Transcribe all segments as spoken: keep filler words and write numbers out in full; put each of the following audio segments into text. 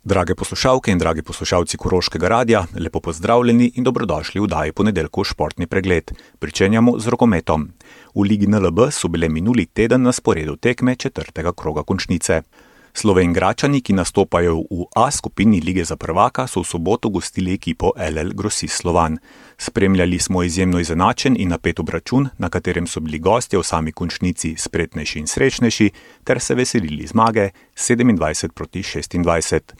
Drage poslušalke in dragi poslušalci Koroškega radia, lepo pozdravljeni in dobrodošli v oddaji Ponedeljkov športni pregled. Pričenjamo z rokometom. V Ligi N L B so bile minuli teden na sporedu tekme četrtega kroga končnice. Slovenjgračani, ki nastopajo v A skupini Lige za prvaka, so v soboto gostili ekipo L L Grosist Slovan. Spremljali smo izjemno izenačen in napet obračun, na katerem so bili gostje v sami končnici spretnejši in srečnejši, ter se veselili zmage sedemindvajset proti šestindvajset.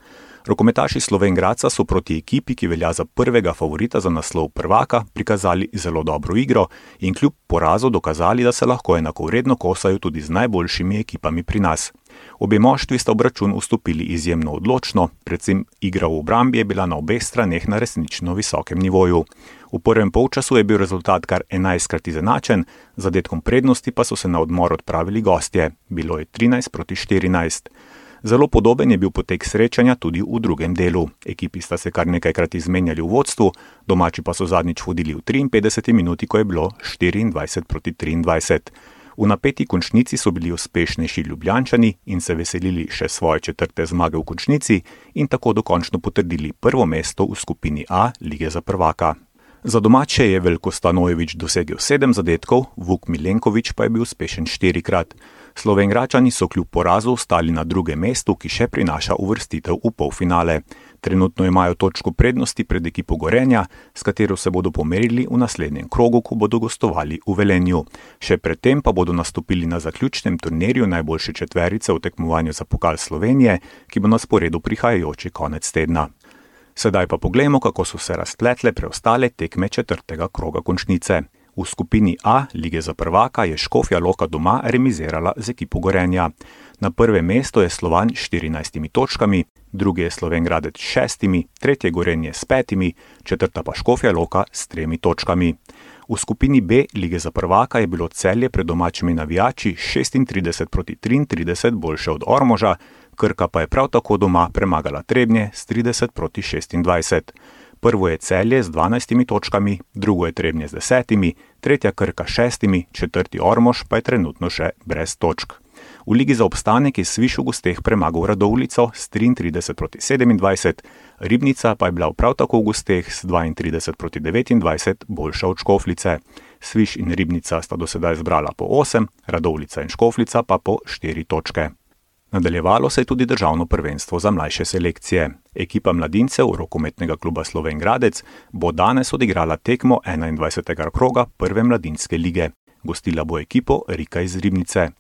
Rokometaši Slovenjgradca so proti ekipi, ki velja za prvega favorita za naslov prvaka, prikazali zelo dobro igro in kljub porazu dokazali, da se lahko enakovredno kosajo tudi z najboljšimi ekipami pri nas. Obe moštvi sta obračun vstopili izjemno odločno, predvsem igra v obrambi je bila na obeh straneh na resnično visokem nivoju. V prvem polčasu je bil rezultat kar enajstkrat izenačen, z zadetkom prednosti pa so se na odmor odpravili gostje. Bilo je trinajst proti štirinajst. Zelo podoben je bil potek srečanja tudi v drugem delu. Ekipi sta se kar nekajkrat izmenjali v vodstvu, domači pa so zadnjič vodili v triinpetdeseti minuti, ko je bilo štiriindvajset proti triindvajset. V napeti končnici so bili uspešnejši Ljubljančani in se veselili še svoje četrte zmage v končnici in tako dokončno potrdili prvo mesto v skupini A Lige za prvaka. Za domače je Veljko Stanojević dosegel sedem zadetkov, Vuk Milenković pa je bil uspešen štirikrat. Slovenjgračani so kljub porazu ostali na drugem mestu, ki še prinaša uvrstitev v polfinale. Trenutno imajo točko prednosti pred ekipo Gorenja, s katero se bodo pomerili v naslednjem krogu, ko bodo gostovali v Velenju. Še predtem pa bodo nastopili na zaključnem turnirju najboljše četverice v tekmovanju za pokal Slovenije, ki bo na sporedu prihajajoči konec tedna. Sedaj pa poglejmo, kako so se razpletle preostale tekme četrtega kroga končnice. V skupini A Lige za prvaka je Škofja Loka doma remizirala z ekipo Gorenja. Na prvem mestu je Slovan s štirinajstimi točkami, drugi je Slovenjgradec s šestimi, tretje Gorenje s petimi, četrta pa Škofja Loka s tremi točkami. V skupini B Lige za prvaka je bilo Celje pred domačimi navijači šestintrideset proti triintrideset boljše od Ormoža, Krka pa je prav tako doma premagala Trebnje s trideset proti šestindvajset. Prvo je Celje z dvanajstimi točkami, drugo je Trebnje z desetimi, tretja Krka s šestimi, četrti Ormož pa je trenutno še brez točk. V Ligi za obstanek je Sviš v gosteh premagal Radovljico s triintrideset proti sedemindvajset, Ribnica pa je bila prav tako v gosteh s dvaintrideset proti devetindvajset boljša od Škofljice. Sviš in Ribnica sta do sedaj zbrala po osem, Radovljica in Škofljica pa po štiri točke. Nadaljevalo se je tudi državno prvenstvo za mlajše selekcije. Ekipa mladincev rokometnega kluba Slovenjgradec bo danes odigrala tekmo enaindvajsetega kroga prve mladinske lige. Gostila bo ekipo Rika iz Ribnice.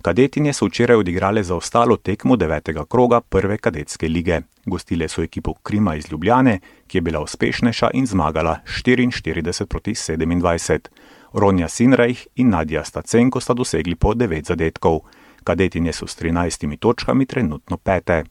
Kadetinje so včeraj odigrale za ostalo tekmo devetega kroga prve kadetske lige. Gostile so ekipo Krima iz Ljubljane, ki je bila uspešnejša in zmagala štiriinštirideset proti sedemindvajset. Ronja Sinrajh in Nadja Stacenko sta dosegli po devet zadetkov. Kadetinje so s trinajstimi točkami trenutno pete.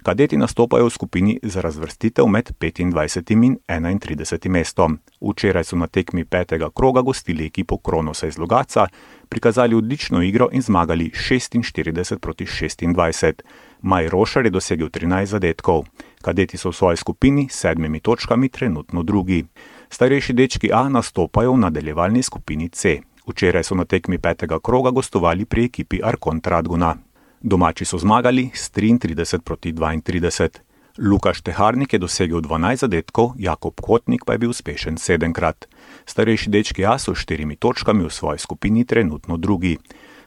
Kadeti nastopajo v skupini za razvrstitev med petindvajsetim in enaintridesetim mestom. Včeraj so na tekmi petega kroga gostili ekipo Kronosa iz Logatca, prikazali odlično igro in zmagali šestinštirideset proti šestindvajset. Maj Rošar je dosegel trinajst zadetkov. Kadeti so v svoji skupini s sedmimi točkami trenutno drugi. Starejši dečki A nastopajo v nadaljevalni skupini C. Včeraj so na tekmi petega kroga gostovali pri ekipi Arkont Radgona. Domači so zmagali s triintrideset proti dvaintrideset. Lukaš Teharnik je dosegel dvanajst zadetkov, Jakob Kotnik pa je bil uspešen sedemkrat. Starejši dečki A so s štirimi točkami v svoji skupini trenutno drugi.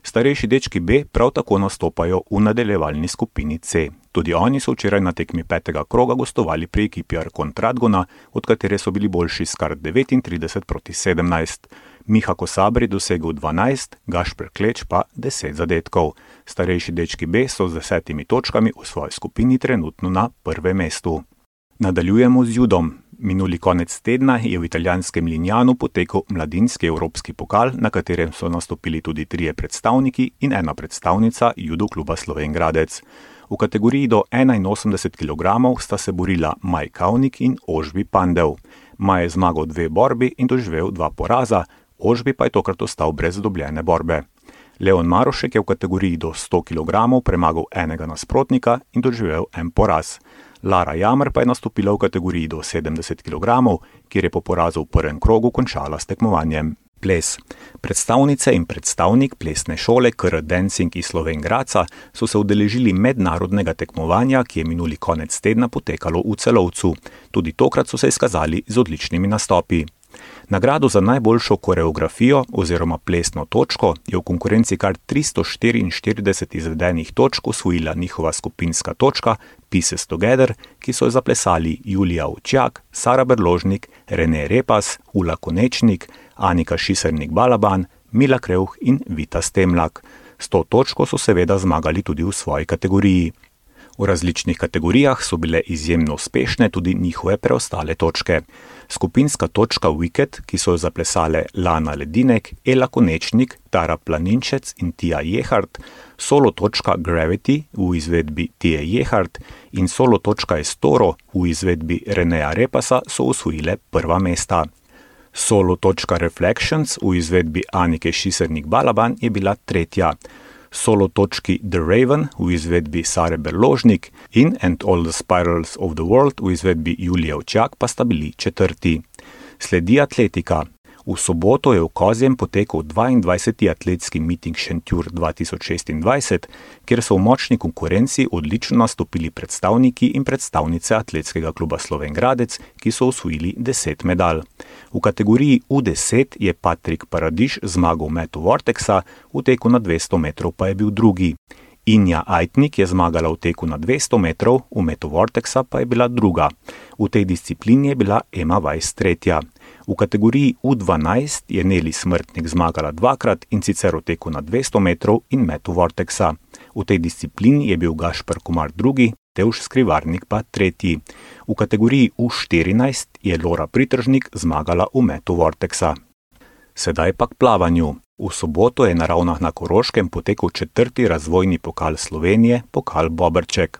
Starejši dečki B prav tako nastopajo v nadaljevalni skupini C. Tudi oni so včeraj na tekmi petega kroga gostovali pri ekipi Arkont Radgona, od katere so bili boljši s kar devetintrideset proti sedemnajst. Miha Kosaber je dosegel dvanajst, Gašper Kleč pa deset zadetkov. Starejši dečki B so z desetimi točkami v svoji skupini trenutno na prvem mestu. Nadaljujemo z judom. Minuli konec tedna je v italijanskem Lignanu potekal mladinski evropski pokal, na katerem so nastopili tudi trije predstavniki in ena predstavnica judo kluba Slovenjgradec. V kategoriji do enainosemdeset kilogramov sta se borila Maj Kavnik in Ožbi Pandev. Maj je zmagal dve borbi in doživel dva poraza, Ožbi pa je tokrat ostal brez dobljene borbe. Leon Marošek je v kategoriji do sto kilogramov premagal enega nasprotnika in doživel en poraz. Lara Jamr pa je nastopila v kategoriji do sedemdeset kilogramov, kjer je po porazu v prvem krogu končala s tekmovanjem. Ples. Predstavnice in predstavnik plesne šole K R Dancing iz Slovenj Gradca so se udeležili mednarodnega tekmovanja, ki je minuli konec tedna potekalo v Celovcu. Tudi tokrat so se izkazali z odličnimi nastopi. Nagrado za najboljšo koreografijo oziroma plesno točko je v konkurenci kar tristo štiriinštirideset izvedenih točk osvojila njihova skupinska točka Pieces Together, ki so jo zaplesali Julija Ovčjak, Sara Berložnik, Rene Repas, Ula Konečnik, Anika Šisernik-Balaban, Mila Krevh in Vita Stemlak. S to točko so seveda zmagali tudi v svoji kategoriji. V različnih kategorijah so bile izjemno uspešne tudi njihove preostale točke. Skupinska točka Wicked, ki so jo zaplesale Lana Ledinek, Ela Konečnik, Tara Planinšec in Tija Jehart, solo točka Gravity v izvedbi Tije Jehart in solo točka Estoro v izvedbi Reneja Repasa so osvojile prva mesta. Solo točka Reflections v izvedbi Anike Šisernik-Balaban je bila tretja. Solo točki The Raven v izvedbi Sare Berložnik in And All the Spirals of the World v izvedbi Julije Ovčjak pa sta bili četrti. Sledi atletika. V soboto je v Kozjem potekal dvaindvajseti atletski miting Šentjur dva tisoč šestindvajset, kjer so v močni konkurenci odlično nastopili predstavniki in predstavnice atletskega kluba Slovenj Gradec, ki so osvojili deset medalj. V kategoriji U deset je Patrik Paradiž zmagal v metu Vortexa, v teku na dvesto metrov pa je bil drugi. Inja Ajtnik je zmagala v teku na dvesto metrov, v metu Vortexa pa je bila druga. V tej disciplini je bila Ema Weiss tretja. V kategoriji U dvanajst je Neli Smrtnik zmagala dvakrat in sicer v teku na dvesto metrov in metu Vortexa. V tej disciplini je bil Gašper Komar drugi, Tevž Skrivarnik pa tretji. V kategoriji U štirinajst je Lora Pritržnik zmagala v metu Vortexa. Sedaj pa k plavanju. V soboto je na Ravnah na Koroškem potekal četrti razvojni pokal Slovenije, pokal Boberček.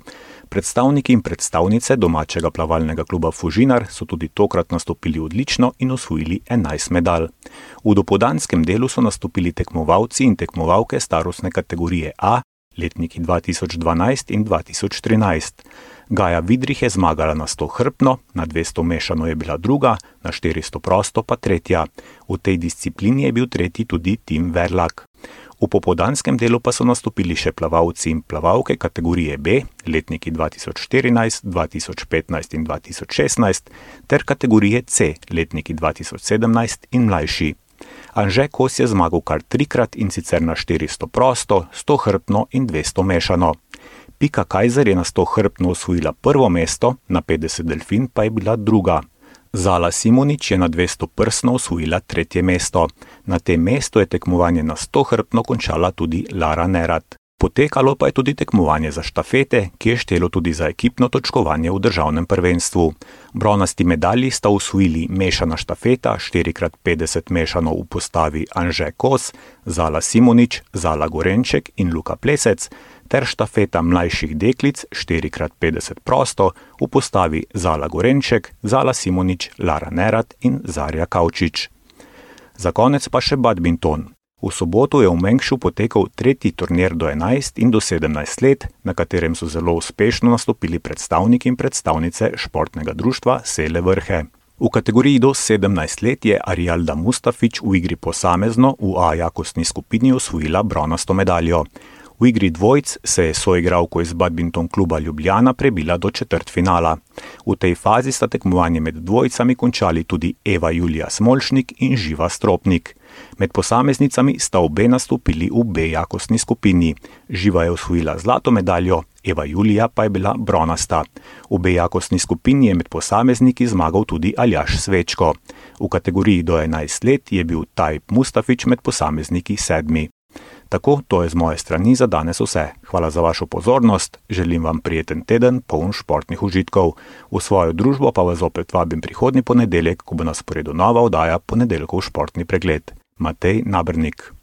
Predstavniki in predstavnice domačega plavalnega kluba Fužinar so tudi tokrat nastopili odlično in osvojili enajst medalj. V dopoldanskem delu so nastopili tekmovalci in tekmovalke starostne kategorije A, letniki dva tisoč dvanajst in dva tisoč trinajst. Gaja Vidrih je zmagala na sto hrbtno, na dvesto mešano je bila druga, na štiristo prosto pa tretja. V tej disciplini je bil tretji tudi Tim Verlak. V popoldanskem delu pa so nastopili še plavalci in plavalke kategorije B, letniki dva tisoč štirinajst, dva tisoč petnajst in dva tisoč šestnajst, ter kategorije C, letniki dva tisoč sedemnajst in mlajši. Anže Kos je zmagal kar trikrat in sicer na štiristo prosto, sto hrbtno in dvesto mešano. Pika Kajzer je na sto hrbtno osvojila prvo mesto, na petdeset delfin pa je bila druga. Zala Simonič je na dvesto prsno osvojila tretje mesto. Na tem mestu je tekmovanje na sto hrbtno končala tudi Lara Nerat. Potekalo pa je tudi tekmovanje za štafete, ki je štelo tudi za ekipno točkovanje v državnem prvenstvu. Bronasti medalji sta osvojili mešana štafeta štiri krat petdeset mešano v postavi Anže Kos, Zala Simonič, Zala Gorenček in Luka Plesec, ter štafeta mlajših deklic štiri krat petdeset prosto v postavi Zala Gorenček, Zala Simonič, Lara Nerat in Zarja Kavčič. Za konec pa še badminton. V soboto je v Mengšu potekal tretji turnir do enajst in do sedemnajst let, na katerem so zelo uspešno nastopili predstavniki in predstavnice športnega društva Sele Vrhe. V kategoriji do sedemnajst let je Arialda Mustafič v igri posamezno v A jakostni skupini osvojila bronasto medaljo. V igri dvojc se je soigralko iz badminton kluba Ljubljana prebila do četrtfinala. V tej fazi sta tekmovanje med dvojcami končali tudi Eva Julija Smolšnik in Živa Stropnik. Med posameznicami sta obe nastopili v B jakostni skupini. Živa je osvojila zlato medaljo, Eva Julija pa je bila bronasta. V B jakostni skupini je med posamezniki zmagal tudi Aljaž Svečko. V kategoriji do enajst let je bil Tajp Mustafič med posamezniki sedmi. Tako, to je z moje strani za danes vse. Hvala za vašo pozornost, želim vam prijeten teden, poln športnih užitkov. V svojo družbo pa vas opet vabim prihodnji ponedeljek, ko bo na sporedu nova oddaja Ponedeljkov športni pregled. Matej Nabernik.